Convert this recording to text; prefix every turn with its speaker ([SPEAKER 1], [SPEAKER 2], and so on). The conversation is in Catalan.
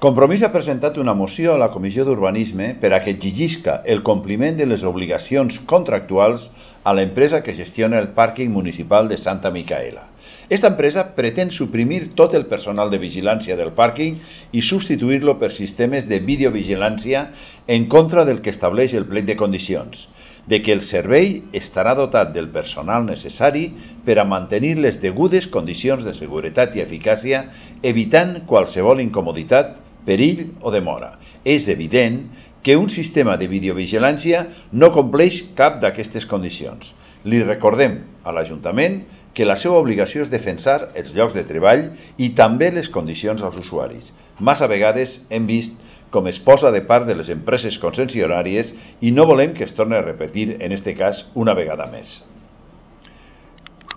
[SPEAKER 1] Compromís ha presentat una moció a la Comissió d'Urbanisme per a que exigisca el compliment de les obligacions contractuals a l'empresa que gestiona el pàrquing municipal de Santa Micaela. Esta empresa pretén suprimir tot el personal de vigilància del pàrquing i substituir-lo per sistemes de videovigilància en contra del que estableix el plec de condicions, de que el servei estarà dotat del personal necessari per a mantenir les degudes condicions de seguretat i eficàcia, evitant qualsevol incomoditat, perill o demora. És evident que un sistema de videovigilància no compleix cap d'aquestes condicions. Li recordem a l'Ajuntament que la seva obligació és defensar els llocs de treball i també les condicions als usuaris. Massa vegades hem vist com es posa de part de les empreses concessionàries i no volem que es torni a repetir en aquest cas una vegada més.